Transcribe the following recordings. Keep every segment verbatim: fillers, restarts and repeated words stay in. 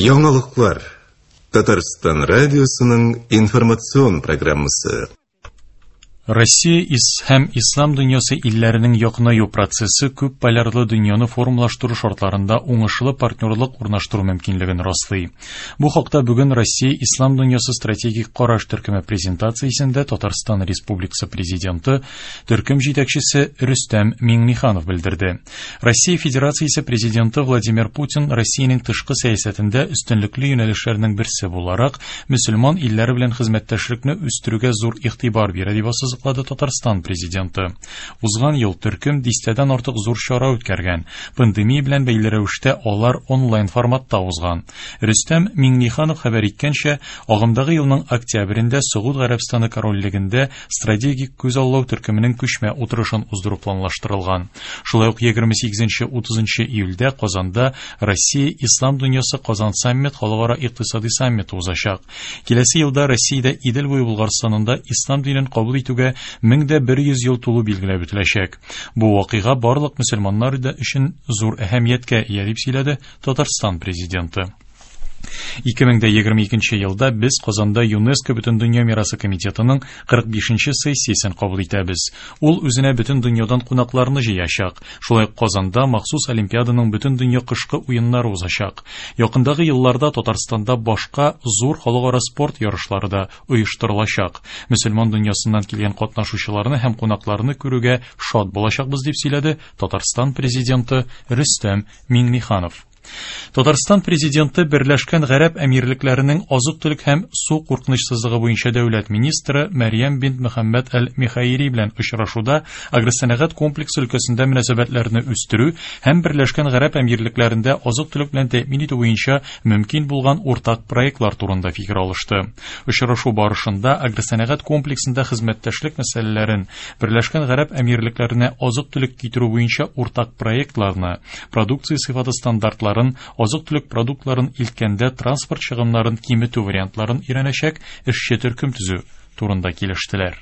Яңалыклар. Татарстан радиосының информацион программасы. Россия һәм ислам дөньясы илләренең якынаю процессы күп полярлы дөньяны формалаштыру шартларында уңышлы партнерлык урнаштыру мөмкинлеген раслый. Бу хакта бүген Россия ислам дөньясы стратегик караш төркеме презентациясендә Татарстан Республикасы президенты, төркем җитәкчесе Рөстәм Миңнеханов белдерде. Россия Федерациясе президенты Владимир Путин Россиянең тышкы сәясәтендә өстенлекле юнәлешләрнең берсе буларак мөселман илләре белән хезмәттәшлекне үстерүгә зур игътибар бирә дип ассызыклады Татарстан президенты. Узган ел төркем дистәдән артык зур чара үткәргән. Пандемия белән бәйле рәвештә алар онлайн форматта узган. Рөстәм Миңнеханов хәбәр иткәнчә, агымдагы елның октябрендә Согуд Гарәбстаны корольлегендә стратегик күзаллау төркеменең күчмә утырышын уздыру планлаштырылган. Шулай ук егерме сигезенче утызынчы июльдә Казанда Россия Ислам дөньясы Казан саммит халыкара икътисади саммиты узачак. Киләсе елда Россиядә Идел буе Булгарстанында ислам динен кабул итүгә мең дә бер йөз ел тулу билгеләп үтеләчәк. Бу вакыйга барлык мөселманнар өчен зур әһәмияткә ия дип сөйләде Татарстан президенты. Ике мең дә егерме икенче елда без Казанда ЮНЕСКО Бөтендөнья мирасы комитетының кырык бишенче сессиясен кабул итәбез. Ул үзенә бөтен дөньядан кунакларны җыячак. Шулай ук Казанда махсус Олимпиаданың бөтен дөнья кышкы уеннары узачак. Якындагы елларда Татарстанда башка зур халыкара спорт ярышлары да оештырылачак. Мөселман дөньясыннан килгән катнашучыларны һәм кунакларны күрүгә шат булачакбыз дип сөйләде Татарстан президенты Рөстәм Миңнеханов. Татарстан президенты Берләшкән Гарәп Әмирлекләренең азык-төлек һәм су куркынычсызлыгы буенча дәүләт министры Мәрьям бинт Мөхәммәд әл-Михаири белән очрашуда агросәнәгать комплексы өлкәсендә мөнәсәбәтләрне үстерү һәм Берләшкән Гарәп Әмирлекләрендә азык-төлек белән тәэмин итү буенча мөмкин булган уртак проектлар турында фикер алышты. Очрашу барышында агросәнәгать комплексында хезмәттәшлек мәсьәләләрен, Берләшкән Гарәп Әмирлекләренә азык-төлек китерү буенча уртак проектларны, продукция сыйфаты стандартларын, азык-төлек продуктларын илткәндә транспорт чыгымнарын киметү вариантларын өйрәнәчәк эшче төркем төзү турында килештеләр.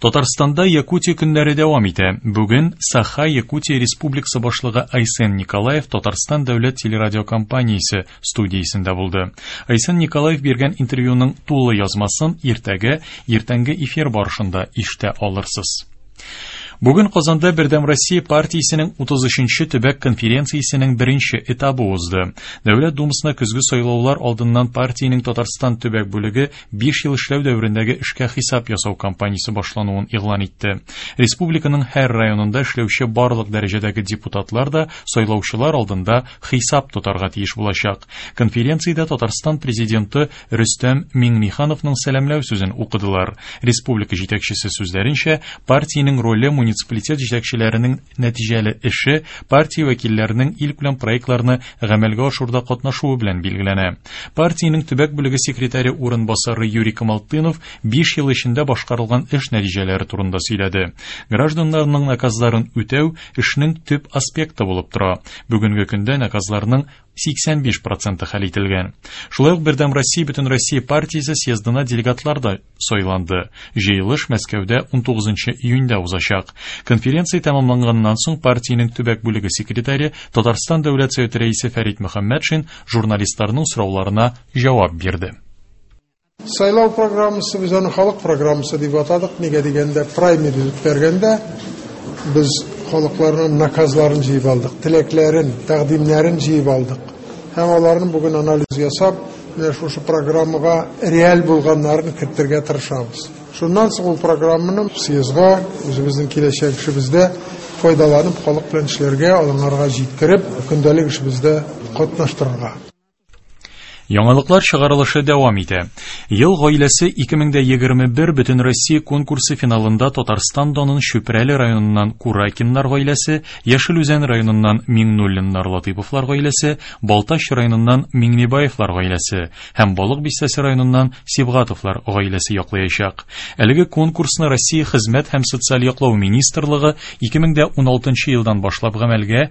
Татарстанда Якутия көннәре дәвам итә. Бүген Саха Якутия Республикасы башлыгы Айсен Николаев Татарстан дәүләт телерадиокомпаниясе студиясендә булды. Айсен Николаев биргән интервьюның тулы язмасын иртәгә иртәнге эфир барышында ишетә алырсыз. Бүген Казанда Бердәм Россия партиясенең утыз өченче төбәк конференциясенең беренче этабы узды. Дәүләт Думасына көзге сайлаулар алдыннан партиянең Татарстан төбәк бүлеге биш ел эшләү дәверендәге эшкә хисап ясау кампаниясе башлануын игълан итте. Республиканың һәр районында эшләүче барлык дәрәҗәдәге депутатлар да сайлаучылар алдында хисап тотарга тиеш булачак. Конференциядә Татарстан президенты Рөстәм Миңнехановның сәламләү сүзен укыдылар. Республика җитәкчесе сүзләренчә, партиянең роле муниципалитет җитәкчеләренең нәтиҗәле эше партия вәкилләренең илкүләм проектларны гамәлгә ашыруда катнашуы белән билгеләнә. Партиянең төбәк бүлеге секретаре урынбасары Юрий Камалтынов биш ел эчендә башкарылган эш нәтиҗәләре турында сөйләде. Гражданнарның наказларын үтәү эшнең төп аспекты булып тора. Бүгенге көндә наказларның сиксән биш проценты хәл ителгән. Шулай ук Бердәм Россия Бөтенроссия партиясе съездына делегатлар да сайланды. Җыелыш Мәскәүдә унтугызынчы июньдә узачак. Конференция тәмамланганнан соң партиянең төбәк бүлеге секретаре Татарстан Дәүләт Советы рәисе Фәрит Мөхәммәтшин журналистларның сорауларына җавап бирде. Сайлау программасы без аны халык программасы дип атадык. Нигә дигәндә, праймериз үткәргәндә без халыкларның наказларын җыеп алдык, теләкләрен, тәкъдимнәрен җыеп алдык. Һәм аларны бүген анализ ясап, менә шушы программага реаль булганнарын кертергә тырышабыз. Шуннан соң ул программаны съездга, үзебезнең киләчәк эшебездә файдаланып, халык белән эшләргә, аларга җиткереп, көндәлек эшебездә катнаштырырга. Яңалыклар чыгарылышы дәвам итә. Ел гаиләсе ике мең дә егерме бер Бөтенроссия конкурсы финалында Татарстан данын Чүпрәле районыннан Куракиннар гаиләсе, Яшел Үзән районыннан Миңнуллиннар Латыйповлар гаиләсе, Балтач районыннан Миңнебаевлар гаиләсе һәм Балык Бистәсе районыннан Сибгатовлар гаиләсе яклаячак. Әлеге конкурсны Россия Хезмәт һәм социаль яклау министрлыгы ике мең дә уналтынчы елдан башлап гамәлгә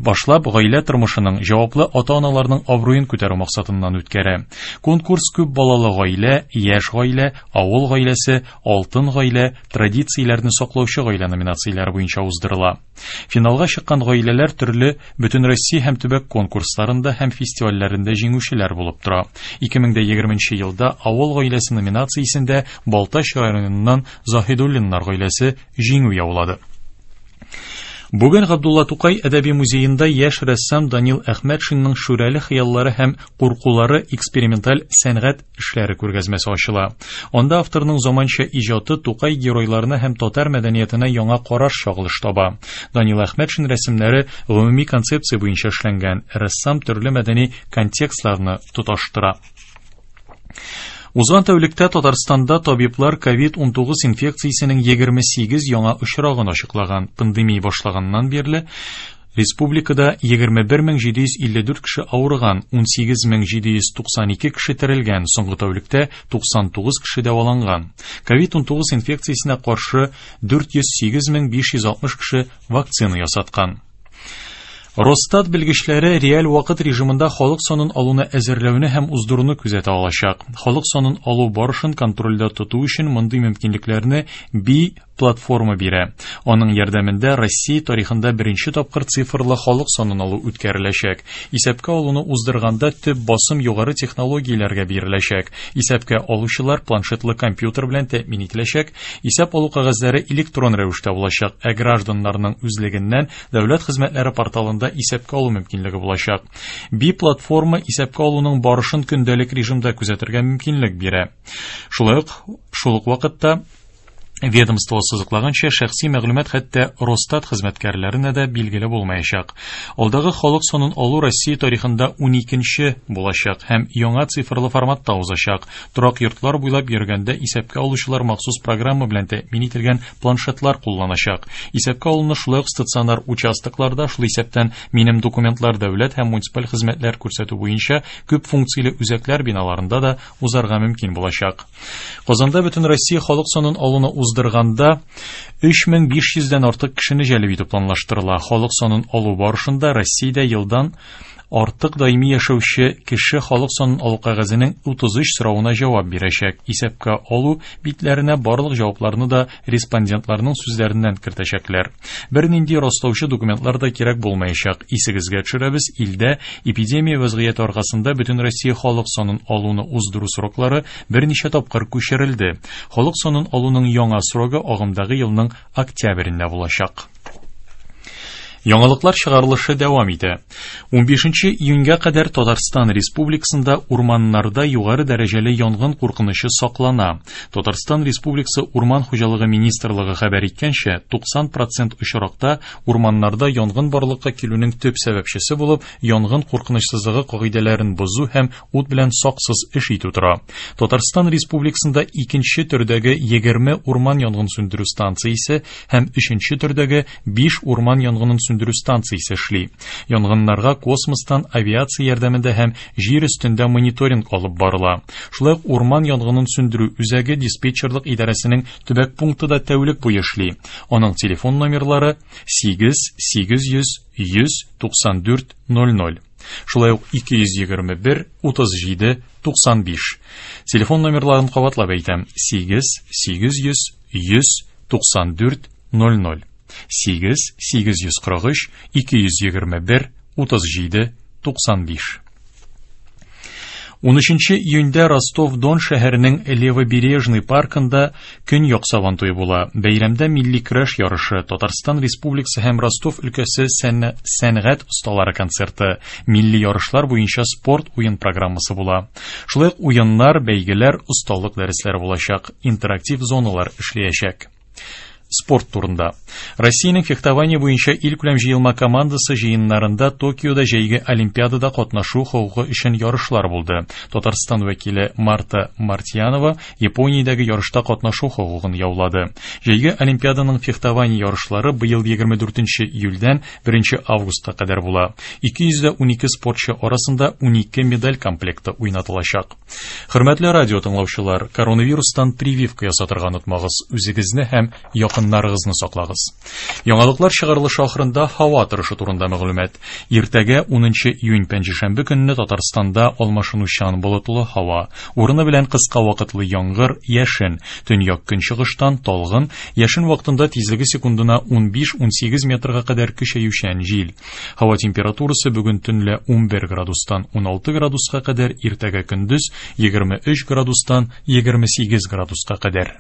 башлап гаилә тормышының җаваплы ата-аналарның абруен күтәрү максатыннан конкурсыннан үткәрә. Конкурс күп балалы гаилә, яшь гаилә, авыл гаиләсе, алтын гаилә, традицияләрне саклаучы гаилә номинацияләре буенча уздырыла. Финалга чыккан гаиләләр төрле Бөтенроссия һәм төбәк конкурсларында һәм фестивальләрендә җиңүчеләр булып тора. ике мең егерменче елда авыл гаиләсе номинациясендә Балтач районыннан Заһидуллиннар гаиләсе җиңү яулады. Бүген Габдулла Тукай әдәби музеенда яшь рәссам Данил Әхмәтшинның шүрәле хыяллары һәм куркулары эксперименталь сәнгать эшләре күргәзмәсе ачыла. Анда авторның заманча иҗаты Тукай геройларына һәм татар мәдәниятенә яңа караш чагылыш таба. Данил Әхмәтшин рәсемнәре гомуми концепция буенча эшләнгән. Рәссам төрле мәдәни контекстларны тоташтыра. Узган тәүлектә Татарстанда табиблар ковид унтугыз инфекциясенең егерме сигез яңа очрагын ачыклаган. Пандемия башлаганнан бирле республикада егерме бер мең җиде йөз илле дүрт кеше авырган, ун сигез мең җиде йөз туксан ике кеше терелгән, соңгы тәүлектә туксан тугыз кеше дәваланган. ковид унтугыз инфекциясенә каршы дүрт йөз сигез мең биш йөз алтмыш кеше вакцина ясаткан. Росстат белгечләре реаль вакыт режимында халык санын алуны әзерләүне һәм уздыруны күзәтә алачак. Халык санын алу барышын контрольдә тоту өчен мондый мөмкинлекләрне Би платформа бирә. Аның ярдәмендә Россия тарихында беренче тапкыр цифрлы халык санын алу үткәреләчәк. Исәпкә алуны уздырганда төп басым югары технологияләргә биреләчәк. Исәпкә алучылар планшетлы компьютер белән тәэмин ителәчәк. Исәп алу кәгазьләре электрон рәвештә булачак, ә гражданнарның үзлегеннән дәүләт хезмәтләре порталында исәпкә алу мөмкинлеге булачак. Би платформа исәпкә алуның барышын көндәлек режимда күзәтергә мөмкинлек бирә. Шулай ук, шул ук вакытта ведомство сызыклаганча, шәхси мәгълүмат хәтта Росстат хезмәткәрләренә дә билгеле булмаячак. Алдагы халык санын алу Россия тарихында уникенче булачак һәм яңа цифрлы форматта узачак. Торак йортлар буйлап йөргәндә исәпкә алучылар махсус программа белән тәэмин ителгән планшетлар кулланачак. Исәпкә алуны шулай ук стационар участокларда, шул исәптән минем документлар дәүләт һәм муниципаль хезмәтләр күрсәтү буенча күп функцияле үзәкләр биналарында да узарга мөмкин булачак. Казанда бөтен Россия халык санын алуны уздырганда өч мең биш йөздән артык кешене җәлеп итү планлаштырыла. Халык санын алу барышында Россиядә елдан артык даими яшәүче кеше халык санын алу кәгазенең утыз өч соравына җавап бирәчәк. Исәпкә алу битләренә барлык җавапларны да респондентларның сүзләреннән кертәчәкләр. Бернинди раслаучы документлар да кирәк булмаячак. Исегезгә төшерәбез, илдә эпидемия вазгыяте аркасында бөтен Россия халык санын алуны уздыру сроклары берничә тапкыр күчерелде. Халык санын алуның яңа срогы агымдагы елның октябрендә булачак. Яңалыклар чыгарылышы дәвам итә. Унбишенче июньгә кадәр Татарстан Республикасында урманнарда югары дәрәҗәле янгын куркынычы саклана. Татарстан Республикасы Урман хуҗалыгы министрлыгы хәбәр иткәнчә, туксан процент очракта урманнарда янгын барлыкка килүнең төп сәбәпчесе булып янгын куркынычсызлыгы кагыйдәләрен бозу һәм ут белән саксыз эш итү тора. Татарстан Республикасында икенче төрдәге егерме урман янгын сүндерү станциясе һәм өченче төрдәге биш урман янгынын сүндерү станциясе эшли. Янгыннарга космостан авиация ярдәмендә һәм җир өстендә мониторинг алып барыла. Шулай ук урман янгынын сүндерү үзәге диспетчерлык идарәсенең төбәк пункты да тәүлек буе эшли. Аның телефон номерлары сигез сигез йөз йөз туксан дүрт ноль ноль. Шулай ук ике йөз егерме бер утыз җиде туксан биш. Телефон номерларын кабатлап әйтәм: сигез сигез йөз йөз туксан дүрт ноль ноль. Сигез сигез йөз кырык өч ике йөз егерме бер утыз җиде туксан биш. Унөченче июньдә Ростов-Дон шәһәренең Левобережный паркында Көньяк Сабантуе була. Бәйрәмдә милли көрәш ярышы, Татарстан Республикасы һәм Ростов өлкәсе сәнгать осталары концерты, милли ярышлар буенча спорт уен программасы була. Шулай ук уеннар, бәйгеләр, осталык дәресләре булачак, интерактив зоналар эшләячәк. Спорт турында. Россиянең фехтование буенча илкүләм җыелма командасы җыеннарында Токиода җәйге Олимпиадада катнашу хокукы өчен ярышлар булды. Татарстан вәкиле Марта Мартьянова Япониядәге ярышта катнашу хокукын яулады. Җәйге Олимпиаданың фехтование ярышлары быел егерме дүртенче июльдән беренче августка кадәр була. ике йөз дә унике спортчы арасында унике медаль комплекты уйнатылачак. Хөрмәтле радио тыңлаучылар, коронавирустан прививка ясатырга онытмагыз. Үзегезне һәм якыннарыгызны Якыннарыгызны саклагыз. Яңалыклар чыгарылышы ахырында һава торышы турында мәгълүмат. Иртәгә унынчы июнь пәнҗешәмбе көнне Татарстанда алмашынучан болытлы һава, урыны белән кыска вакытлы яңгыр, яшен, төньяк көнчыгыштан талгын, яшен вакытында тизлеге секундына ун биш-ун сигез метрга кадәр көчәючән җил. Һава температурасы бүген төнлә ун бер градустан ун алты градуска кадәр, иртәгә көндез егерме өч градустан егерме сигез градуска кадәр.